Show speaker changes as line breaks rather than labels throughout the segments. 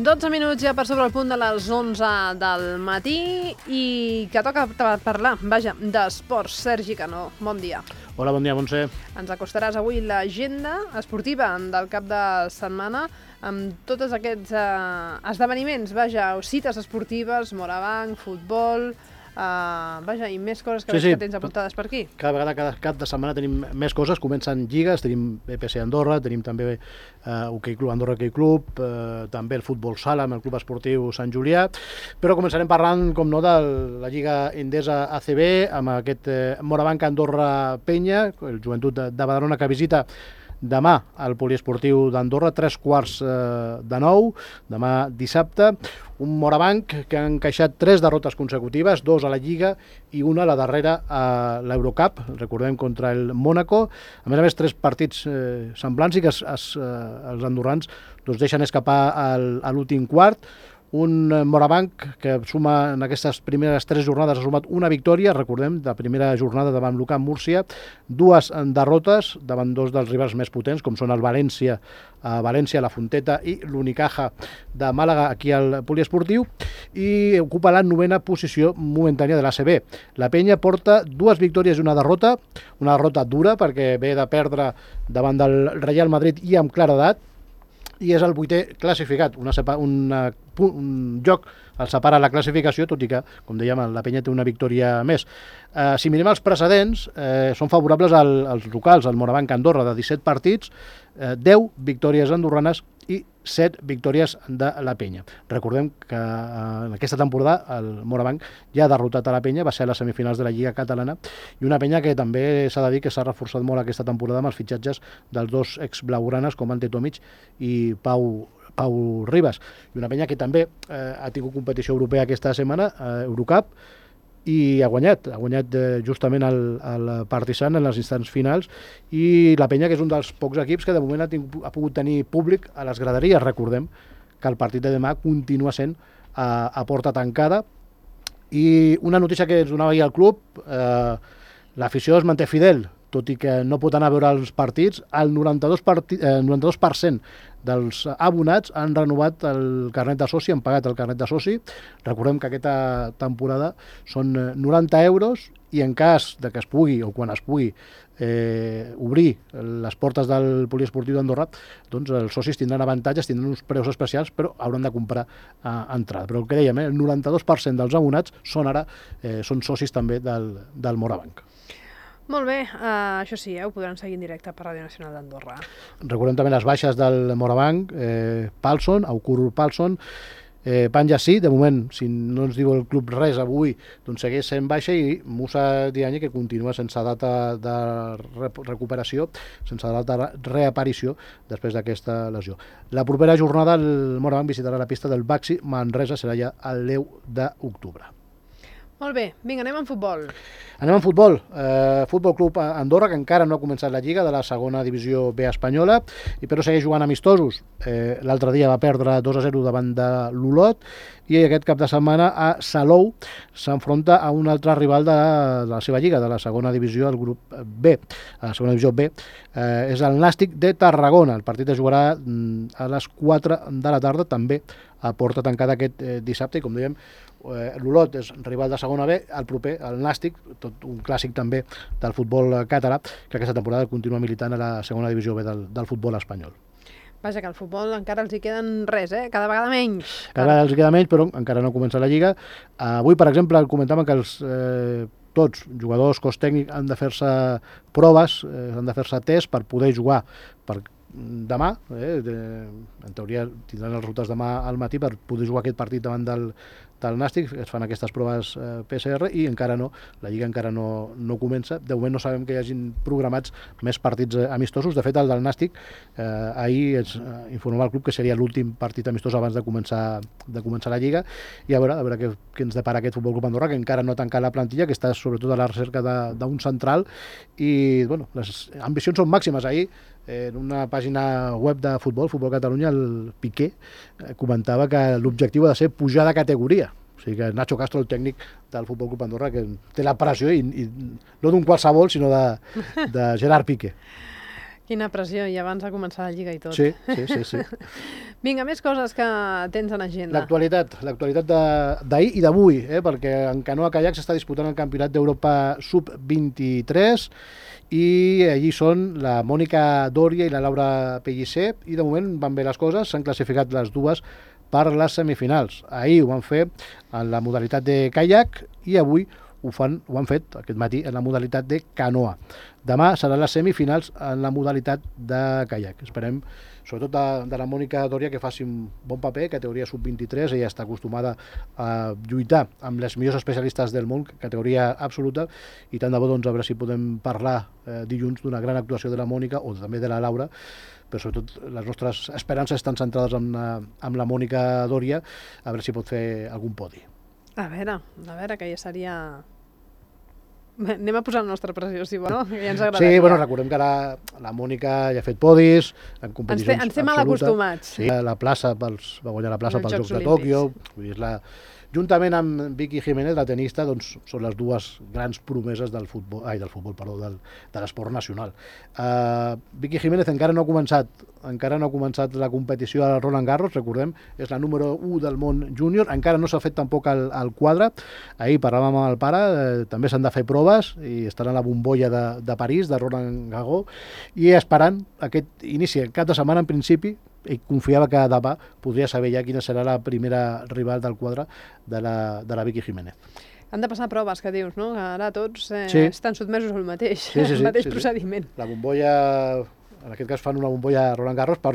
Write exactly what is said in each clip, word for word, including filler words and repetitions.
dotze minuts ja per sobre el punt de les onze del matí i que toca parlar, vaja, d'esports. Sergi Canó, bon dia.
Hola, bon dia, Montse.
Ens acostaràs avui l'agenda esportiva del cap de setmana amb tots aquests eh, esdeveniments, vaja, cites esportives, Morabanc, futbol... Uh, vaja, i més coses que,
sí, sí.
que tens apuntades per aquí.
Cada vegada, cada cap de setmana tenim més coses, comencen lligues, tenim B P C Andorra, tenim també uh, Hoquei Club Andorra Hoquei Club, uh, també el futbol sala amb el Club Esportiu Sant Julià, però començarem parlant, com no, de la Lliga Endesa A C B, amb aquest uh, Morabanc Andorra Penya, el Joventut de, de Badalona, que visita demà al poliesportiu d'Andorra, tres quarts eh, de nou, demà dissabte. Un Morabanc que ha encaixat tres derrotes consecutives, dos a la Lliga i una a la darrera a l'Eurocup, recordem, contra el Mónaco. A més a més, tres partits eh, semblants i que es, es, eh, els andorrans doncs, deixen escapar al, a l'últim quart. Un Morabanc que suma en aquestes primeres tres jornades ha sumat una victòria, recordem, de primera jornada davant l'U C A M Múrcia, dues derrotes davant dos dels rivals més potents, com són el València, a València, la Fonteta i l'Unicaja de Màlaga, aquí al poliesportiu, i ocupa la novena posició momentània de l'A C B. La Penya porta dues victòries i una derrota, una derrota dura perquè ve de perdre davant del Real Madrid i amb claredat, i és el vuitè classificat, una, una, un joc el separa la classificació, tot i que, com dèiem, la Penya té una victòria més. Eh, si mirem els precedents, eh, són favorables al, als locals, al Morabanc Andorra, de disset partits, eh, deu victòries andorranes i set victòries de la Penya. Recordem que eh, en aquesta temporada el Morabanc ja ha derrotat a la Penya, va ser a les semifinals de la Lliga Catalana, i una Penya que també s'ha de dir que s'ha reforçat molt aquesta temporada amb els fitxatges dels dos ex-blaugranes com Ante Tomic i Pau Pau Ribas, i una Penya que també eh, ha tingut competició europea aquesta setmana, eh, Eurocup, i ha guanyat, ha guanyat eh, justament el, el Partizan en les instants finals, i la Penya, que és un dels pocs equips que de moment ha, tingut, ha pogut tenir públic a les graderies. Recordem que el partit de demà continua sent a, a porta tancada, i una notícia que ens donava ahir al club, eh, l'afició es manté fidel, tot i que no pot anar a veure els partits. El noranta-dos per cent dels abonats han renovat el carnet de soci, han pagat el carnet de soci. Recordem que aquesta temporada són noranta euros, i en cas de que es pugui, o quan es pugui, eh, obrir les portes del poliesportiu d'Andorra, doncs els socis tindran avantatges, tindran uns preus especials, però hauran de comprar eh, entrada. Però el que dèiem, eh, el noranta-dos per cent dels abonats són ara eh, són socis també del, del Morabanc.
Molt bé, uh, això sí, eh, ho podran seguir en directe per Ràdio Nacional d'Andorra.
Recordem també les baixes del Morabanc, eh, Palson, Aukur Palson, eh, Panja sí, de moment, si no ens diu el club res avui, doncs segueix sent baixa, i Musa Diagne, que continua sense data de recuperació, sense data de reaparició després d'aquesta lesió. La propera jornada el Morabanc visitarà la pista del Baxi Manresa, serà ja el deu d'octubre.
Molt bé, vinga, anem en futbol.
Anem en futbol. Eh, Futbol Club Andorra, que encara no ha començat la Lliga de la segona divisió B espanyola, i però segueix jugant amistosos. Eh, L'altre dia va perdre dos a zero davant de l'Olot, i aquest cap de setmana a Salou s'enfronta a un altre rival de la, de la seva Lliga, de la segona divisió, el grup B. A la segona divisió B eh, és el Nàstic de Tarragona. El partit es jugarà mm, a les quatre de la tarda, també a porta tancada aquest eh, dissabte, i com dèiem, l'Olot és rival de segona B, el proper, el Nàstic, tot un clàssic també del futbol català, que aquesta temporada continua militant a la segona divisió B del, del futbol espanyol.
Vaja, que al futbol encara els hi queden res, eh? Cada vegada menys.
Cada vegada els hi queda menys, però encara no comença la Lliga. Avui, per exemple, comentàvem que els eh, tots, jugadors, cos tècnic, han de fer-se proves, eh, han de fer-se tests per poder jugar per demà, eh, de, en teoria tindran els rutes demà al matí per poder jugar aquest partit davant del, del Nàstic. Es fan aquestes proves eh, P C R, i encara no, la Lliga encara no, no comença. De moment no sabem que hi hagin programats més partits eh, amistosos. De fet, el del Nàstic eh, ahir es eh, informava al club que seria l'últim partit amistós abans de començar, de començar la Lliga, i a veure, a veure què, què ens depara aquest Futbol Club Andorra, que encara no ha tancat la plantilla, que està sobretot a la recerca d'un central, i bueno, les ambicions són màximes. Ahir, en una pàgina web de futbol, Futbol Catalunya, el Piqué eh, comentava que l'objectiu ha de ser pujar de categoria. O sigui que Nacho Castro, el tècnic del Futbol Club Andorra, que té la pressió, i, i no d'un qualsevol, sinó de, de Gerard Piqué.
Quina pressió, i abans de començar la Lliga i tot.
Sí, sí, sí. sí.
Vinga, més coses que tens en agenda.
L'actualitat, l'actualitat d'ahir i d'avui, eh? perquè en canoa caiac s'està disputant el Campionat d'Europa sub vint-i-tres i allí són la Mònica Dòria i la Laura Pellicer i de moment van bé les coses, s'han classificat les dues per les semifinals. Ahir ho van fer en la modalitat de caiac i avui ho, fan, ho han fet aquest matí en la modalitat de canoa. Demà seran les semifinals en la modalitat de caiac. Esperem, sobretot de, de la Mònica Dòria, que faci un bon paper, categoria sub vint-i-tres, ella està acostumada a lluitar amb les millors especialistes del món, categoria absoluta, i tant de bo, doncs, a veure si podem parlar eh, dilluns d'una gran actuació de la Mònica o també de la Laura, però sobretot les nostres esperances estan centrades en la, en la Mònica Dòria, a veure si pot fer algun podi.
A veure, a veure, que ja seria... Anem a posar la nostra pressió, si vol, no? Que ja ens agradaria.
Sí, bueno, recordem que la, la Mònica ja ha fet podis en competicions
absolutes. Ens té mal acostumats.
Sí, la plaça pels, va guanyar la plaça pels Jocs, Jocs de Tòquio. Vull dir, és la, juntament amb Vicky Jiménez, la tenista, doncs, són les dues grans promeses del futbol, ai, del futbol, perdó, del, de l'esport nacional. Uh, Vicky Jiménez encara no ha començat encara no ha començat la competició a Roland Garros, recordem, és la número u del món júnior, encara no s'ha fet tampoc el, el quadre. Ahir parlàvem amb el pare, eh, també s'han de fer proves i estan a la bombolla de, de París, de Roland Garros, i esperant aquest inici, el cap de setmana en principi, i confiava que demà podria saber ja quina serà la primera rival del quadre de la, de la Vicky Jiménez.
Han de passar proves, que dius, no? Que ara tots eh,
sí.
estan sotmesos al mateix,
sí, sí, sí,
el mateix
sí,
procediment.
Sí. La bombolla, en aquest cas fan una bombolla a Roland Garros per,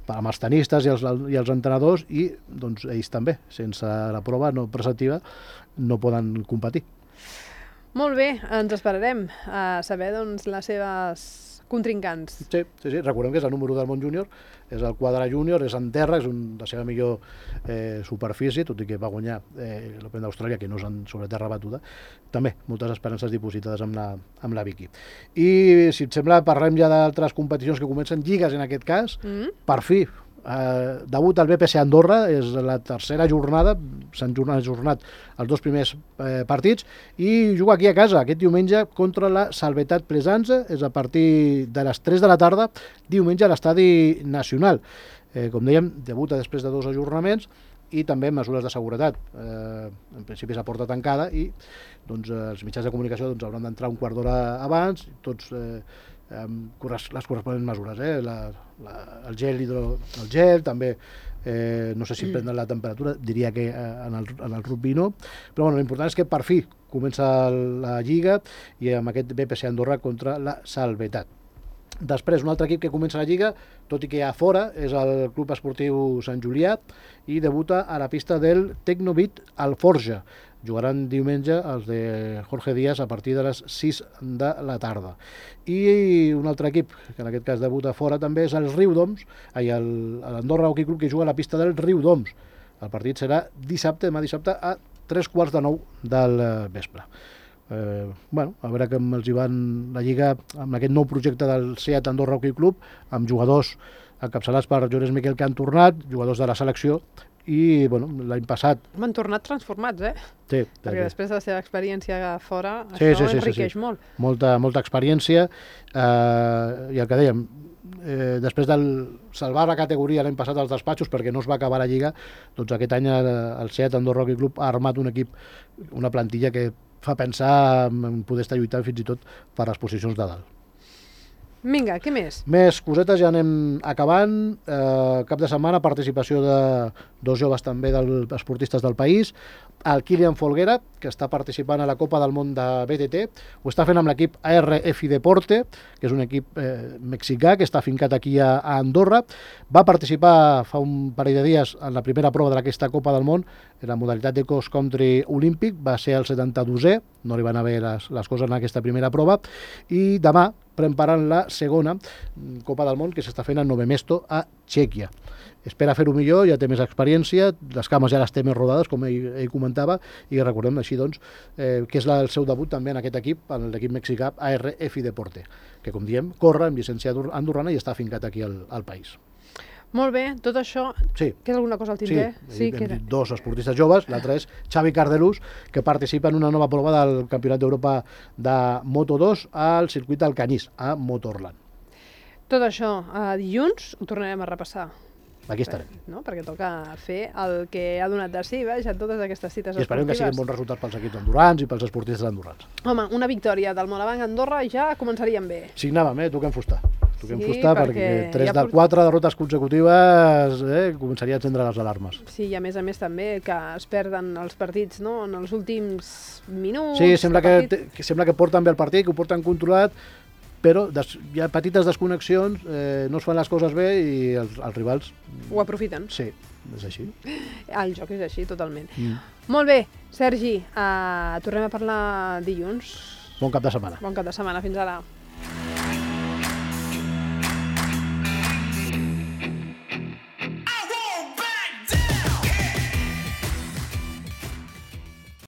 per amb els tenistes i els, i els entrenadors i doncs, ells també, sense la prova no preceptiva, no poden competir.
Molt bé, ens esperarem a saber doncs, les seves contrincants.
Sí, sí, sí, recordem que és el número del món júnior, és el quadre júnior, és en terra, és un, la seva millor eh, superfície, tot i que va guanyar eh, l'Open d'Austràlia, que no és en, sobre terra batuda. També moltes esperances dipositades amb la, amb la Vicky. I si et sembla, parlem ja d'altres competicions que comencen, lligues en aquest cas, mm-hmm. per fi, Eh, debut al B P C Andorra, és la tercera jornada, s'han ajornat els dos primers eh, partits i juga aquí a casa aquest diumenge contra la Salvetat Plesanza, és a partir de les tres de la tarda, diumenge a l'Estadi Nacional. Eh, com dèiem, debuta després de dos ajornaments i també mesures de seguretat. Eh, en principi és a porta tancada i doncs, els mitjans de comunicació doncs, hauran d'entrar un quart d'hora abans, tots eh, amb les corresponents mesures, eh? la, la, el gel hidro, el gel també, eh, no sé si prenen la temperatura, diria que eh, en, el, en el rugby no, però bueno, l'important és que per fi comença la Lliga i amb aquest B P C Andorra contra la Salvetat. Després, un altre equip que comença la Lliga, tot i que a fora, és el Club Esportiu Sant Julià i debuta a la pista del Tecnobit Alforja. Jugaran diumenge els de Jorge Díaz a partir de les sis de la tarda. I un altre equip, que en aquest cas debuta fora també, és el Riudoms, l'Andorra Hockey Club, que juga a la pista del Riudoms. El partit serà dissabte, demà dissabte, a tres quarts de nou del vespre. Eh, bueno, a veure com els hi van la Lliga amb aquest nou projecte del SEAT Andorra Hockey Club, amb jugadors encapçalats per Llorenç Miquel, que han tornat, jugadors de la selecció, i bueno, l'any passat...
M'han tornat transformats, eh?
Sí.
Perquè sí. Després de la seva experiència a fora,
sí,
això
sí, sí,
enriqueix
sí, sí.
molt.
Molta, molta experiència, eh, i el que dèiem, eh, després del salvar la categoria l'any passat als despatxos perquè no es va acabar la Lliga, doncs aquest any el, el SEAT Andorra Hockey Club ha armat un equip, una plantilla que fa pensar en poder estar lluitant fins i tot per les posicions de dalt.
Vinga, què més?
Més cosetes, ja anem acabant. Eh, cap de setmana, participació de dos joves també dels esportistes del país. El Kilian Folguera, que està participant a la Copa del Món de B T T, ho està fent amb l'equip A R F Deporte, que és un equip eh, mexicà que està fincat aquí a, a Andorra. Va participar fa un parell de dies en la primera prova d'aquesta Copa del Món, en la modalitat de cross country olímpic, va ser el setanta-dosè, no li van haver les, les coses en aquesta primera prova, i demà preparant la segona Copa del Món que s'està fent a Nové Mesto, a Txèquia. Espera fer-ho millor, ja té més experiència, les cames ja les té més rodades, com ell, ell comentava, i recordem així doncs eh, que és la, el seu debut també en aquest equip, en l'equip mexicà A R F Deporte, que com diem, corre amb llicència andorrana i està fincat aquí al, al país.
Molt bé, tot això,
sí.
Queda alguna cosa al tinter?
Sí, sí hem dit dos esportistes joves, l'altre és Xavi Cardelús, que participa en una nova prova del Campionat d'Europa de Moto dos al circuit d'Alcanyís, a Motorland.
Tot això, uh, dilluns ho tornarem a repassar.
Aquí estarem.
No? Perquè toca fer el que ha donat de si, veja, totes aquestes cites
I esperem
esportives.
que siguin bons resultats pels equips andorrans i pels esportistes andorrans.
Home, una victòria del Morabanc a Andorra ja començaríem bé.
Signàvem, eh? Toquem fusta. Toquem
Sí,
fusta
perquè
perquè tres
ja
de
port-
quatre derrotes consecutives eh, començaria a encendre les alarmes.
Sí, i a més a més també que es perden els partits, no?, en els últims minuts.
Sí, sembla
de
que,
partit.
que, sembla que porten bé el partit, que ho porten controlat, però des, hi ha petites desconnexions, eh, no es fan les coses bé i els, els rivals...
Ho aprofiten.
Sí, és així.
El joc és així, totalment.
Mm.
Molt bé, Sergi, uh, tornem a parlar dilluns.
Bon cap de setmana.
Bon cap de setmana, fins ara.